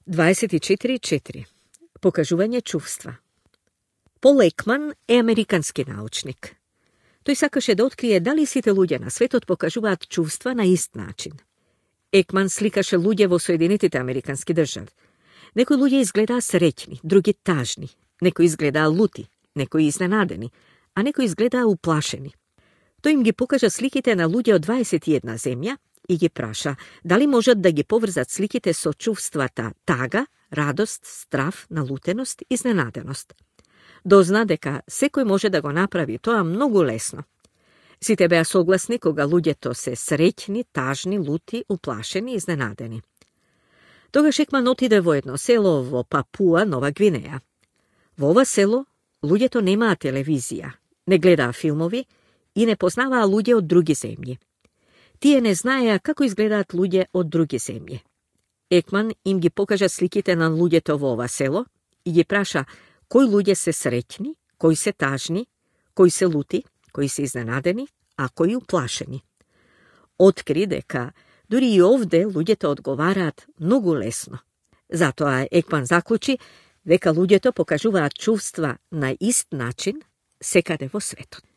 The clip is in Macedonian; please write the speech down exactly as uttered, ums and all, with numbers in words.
дваесет и четири четири. Покажување чувства. Пол Екман е американски научник. Тој сакаше да открие дали сите луѓе на светот покажуваат чувства на ист начин. Екман сликаше луѓе во Соединетите американски држави. Некои луѓе изгледаа среќни, други тажни, некои изгледаа лути, некои изненадени, а некои изгледаа уплашени. Тој им ги покажа сликите на луѓе од дваесет и една земја и ги праша дали можат да ги поврзат сликите со чувствата тага, радост, страв, налутеност, изненаденост. Дозна дека секој може да го направи тоа многу лесно. Сите беа согласни кога луѓето се среќни, тажни, лути, уплашени, изненадени. Тогаш Екман отиде во едно село во Папуа, Нова Гвинеја. Во ова село луѓето немаа телевизија, не гледаа филмови и не познаваа луѓе од други земји. Тие не знаеа како изгледаат луѓе од други земји. Екман им ги покажа сликите на луѓето во ова село и ги праша кои луѓе се среќни, кои се тажни, кои се лути, кои се изненадени, а кои уплашени. Откри дека дури и овде луѓето одговараат многу лесно. Затоа Екман заклучи дека луѓето покажуваат чувства на ист начин секаде во светот.